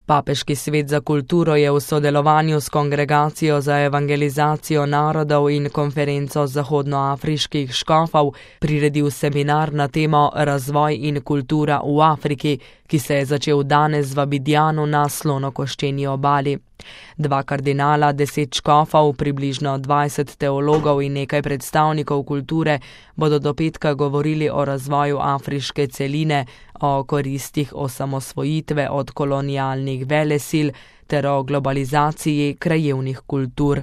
Papeški svet za kulturo je v sodelovanju s Kongregacijo za evangelizacijo narodov in konferenco zahodnoafriških škofov priredil seminar na temo Razvoj in kultura v Afriki, ki se je začel danes v Abidjanu na Slonokoščeni obali. 2 kardinala, 10 škofov, približno 20 teologov in nekaj predstavnikov kulture bodo do petka govorili o razvoju afriške celine, o koristih osamosvojitve od kolonialnih velesil ter o globalizaciji krajevnih kultur.